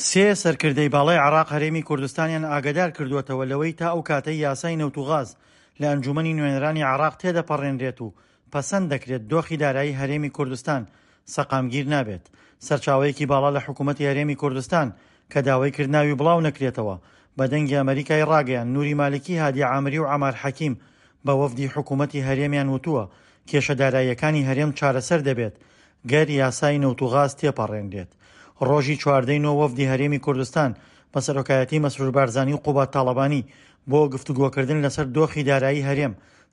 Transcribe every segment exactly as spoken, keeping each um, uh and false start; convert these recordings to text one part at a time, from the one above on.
سێ سەرکردەی باڵای عێراق هەرێمی کوردستانیان ئاگادار کردووەتەوە لەوەی تا ئەو کاتەی یاسای نەوت و غاز لە ئەنجوومەنی نوێنەرانی عێراق تێدەپەڕێنرێت و پەسەند دەکرێت دۆخی دارایی هەرێمی کوردستان سەقامگیر نابێت. سەرچاوەیەکی باڵا لە حکوومەتی هەرێمی کوردستان کە داوای کرد ناوی بڵاو نەکرێتەوە بە دەنگی ئەمەریکای ڕاگەیاند نوری مالکی، هادی عامری و عەمار حەکیم بە وەفدی حکوومەتی هەرێمیان وتووە کێشە داراییەکانی هەرێم چارەسەر دەبێت گەر یاسای نەوت و غاز تێپەڕێنرێت. ڕۆژی چواردەی نۆ وەفدی هەرێمی کوردستان بە سەرۆکایەتی مەسرور بارزانی و قوباد تاڵەبانی بۆ گفتوگۆکردن لەسەر دۆخی دارایی هەرێم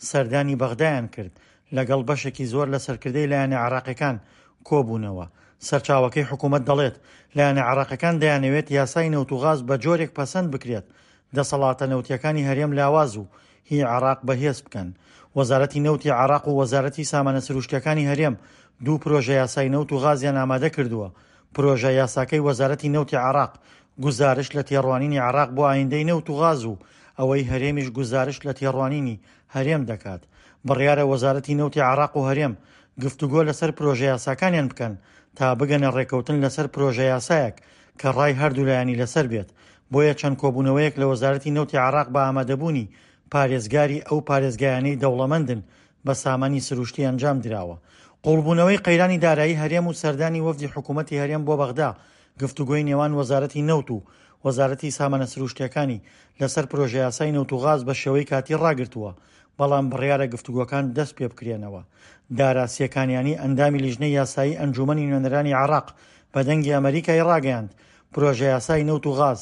سەردانی بەغدایان کرد، لەگەڵ بەشێکی زۆر لە سەرکردەی لایەنە عێراقیەکان کۆبوونەوە. سەرچاوەکەی حکومەت دەڵێت، لایەنە عێراقیەکان دەیانەوێت یاسای نەوت و غاز بە جۆرێک پەسەند بکرێت دەسەڵاتە نەوتیەکانی هەرێم لاواز و هی عێراق بەهێز بکەن. وەزارەتی نەوتی عێراق و وەزارەتی سامانە سروشتیەکانی هەرێم دوو پرۆژە یاسای نەوت و غازیان ئامادە کردووە. پرۆژە یاساکەی وەزارەتی نەوتی عێراق گوزارشت لە تێڕوانینی عێراق بۆ ئایندەی نەوت و غاز و ئەوەی هەرێمیش گوزارشت لە تێڕوانینی هەرێم دەکات. بڕیارە وەزارەتی نەوتی عێراق و هەرێم گفتوگۆ لەسەر پرۆژە یاساکانیان بکەن تا بگەنە ڕێکەوتن لەسەر پرۆژە یاسایەک کە ڕای هەردوو لایەنی لەسەر بێت. بۆیە چەند کۆبوونەوەیەک لە وەزارەتی نەوتی عێراق بە ئامادەبوونی پارێزگاری ئەو پارێزگایانەی دەوڵەمەندن بە سامانی سروشتی ئەنجام دراوە. قوڵبوونەوەی قەیرانی دارایی هەرێم و سەردانی وەفدی حکوومەتی هەرێم بۆ بەغدا گفتوگۆی نێوان وەزارەتی نەوت و وەزارەتی سامانە سروشتیەکانی لەسەر پرۆژەیاسای نەوت و غاز بە شێوەی کاتی ڕاگرتووە، بەڵام بڕیارە گفتوگۆکان دەست پێ بکرێنەوە. دارا سێکانیانی ئەندامی لیژنەی یاسایی ئەنجوومەنی نوێنەرانی عێراق بە دەنگی ئەمەریکای ڕاگەیاند، پرۆژەیاسای نەوت و غاز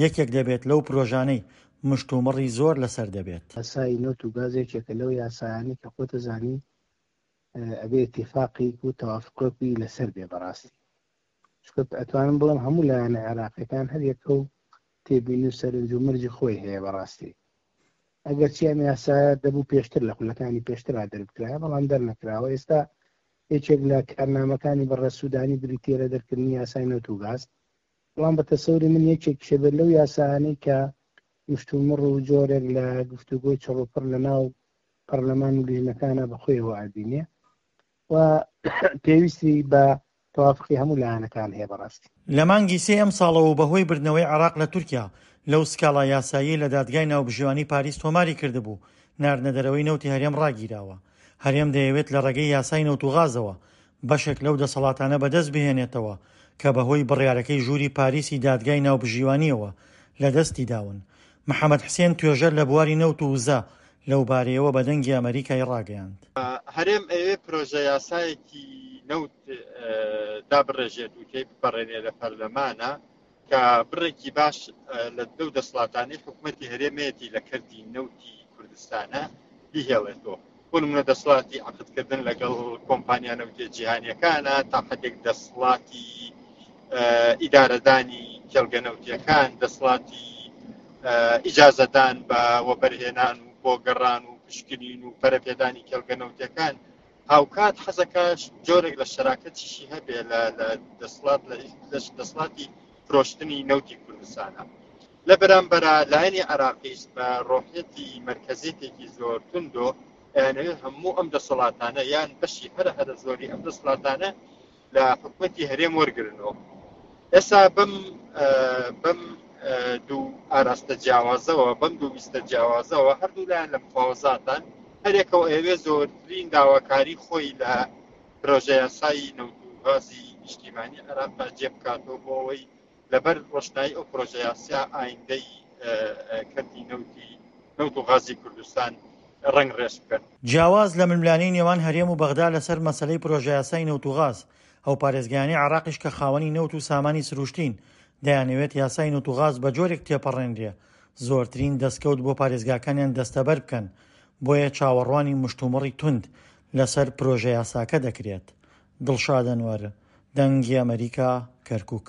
یەکێک دەبێت لەو پرۆژانەی مشتومڕی زۆر لەسەر دەبێت. یاسای نەوت و گاز یەکێکە لەو یاسایانەی کە خۆت ئەزانی ئەبێ ئیتیفاقێک و تەوافقێکی لەسەر بێ بەڕاستی، چونکە ئەتوانم بڵێم هەموو لایەنە عێراقیەکان هەر یەکە و تێبینی و سەرنج و مەرجی خۆی هەیە بەڕاستی. ئەگەرچی ئەم یاسایە دەبوو پێشتر لە خولەکانی پێشترا دەربکرایە، بەڵام دەرنەکراوە. ئێستا یەکێک لە کارنامەکانی بەڕێز سوودانی بریتییە لە دەرکردنی یاسای نەوت و گاز، بەڵام بە تەسەوری من یەکێکیشە بێت لەو یاسایانەی کە مشتومڕ و جۆرێک لە گفتوگۆی چڕوپڕ لە ناو پەرلەمان و لیژنەکانە بەخۆیەوە ئەبینێ و پێویستی بە تەوافقی هەموو لایەنەکان هەیە بەڕاستی. لە مانگی سێ ئەمساڵەوە و بەهۆی بردنەوەی عێراق لە تورکیا لەو سکاڵا یاساییەی لە دادگای ناوبژیوانی پاریس تۆماری کردبوو، ناردنەدەرەوەی نەوتی هەرێم ڕاگیراوە. هەرێم دەیەوێت لە ڕێگەی یاسای نەوت و غازەوە بەشێک لەو دەسەڵاتانە بەدەست بهێنێتەوە کە بەهۆی بڕیارەکەی ژووری پاریسی دادگای ناوبژیوانییەوە لەدەستی داون. محەمەد حسێن توێژەر لە بواری نەوت و وزە لەو بارەیەوە بە دەنگی ئەمەریکای ڕاگەیاند. هەرێم ئەیەوێ پرۆژە یاسایەکی نەوت دابڕێژێت و تێی بپەڕێنێ لە پەرلەمانە کە بڕێکی باش لە لەو دەسەڵاتانەی حکوومەتی هەرێمەیەتی لە کەرتی نەوتی کوردستانە بیهێڵێتەوە. بۆ نمونە دەسەڵاتی عەقدکردن لەگەڵ کۆمپانیا نەوتیە جیهانیەکانە، تا حدێک دەسەڵاتی ئیدارەدانی کێڵگە نەوتیەکان، دەسەڵاتی ئیجازەدان بە وەبەرهێنان و بۆ گەڕان و پشکنین و پەرەپێدانی کێڵگە نەوتیەکان. هاوکات حەزەکەش جۆرێک لە شەراکەتیشی هەبێ لە دەسەڵات لە دەسەڵاتی فرۆشتنی نەوتی کوردستانە. لە بەرامبەرە لایەنی عێراقیش بە ڕۆحیەتی مەرکەزیەتێکی زۆر توندۆ ئەیانەوێت هەموو ئەم دەسەڵاتانە یان بەشی هەرە هەرە زۆری ئەم دەسەڵاتانە لە حکوومەتی هەرێم وەرگرنەوە. ئێستا بەم بەم دوو ئاراستە جیاوازەوە، بەم دوو ویستە جیاوازەوە، هەردوو لایەن لە مفاوەزاتان هەرێکەوە ئەیەوێ زۆرترین داواکاری خۆی لە پرۆژە یاسایی نەوت و غازی نیشتیمانی عێراقدا جێ بکاتەوە بۆ ئەوەی لەبەر ڕۆشنایی ئەو پرۆژە یاسا ئایندەی کەرتی نەوتی نەوت و غازی کوردستان ڕەنگ ڕێژ بکەن. جیاواز لە ململانێی نێوان هەرێم و بەغدا لەسەر مەسەلەی پرۆژەیاسای نەوت و غاز، ئەو پارێزگایانەی عێراقیش کە خاوەنی نەوت و سامانی سروشتین، دەیانەوێت یاسای نەوت و غاز بە جۆرێک تێپەڕێنرێ زۆرترین دەستکەوت بۆ پارێزگاکانیان دەستەبەر بکەن، بۆیە چاوەڕوانی مشتومڕی توند لەسەر پرۆژەیاساکە دەکرێت. دڵشاد ئەنوەر، دەنگی ئەمەریکا، کەرکوک.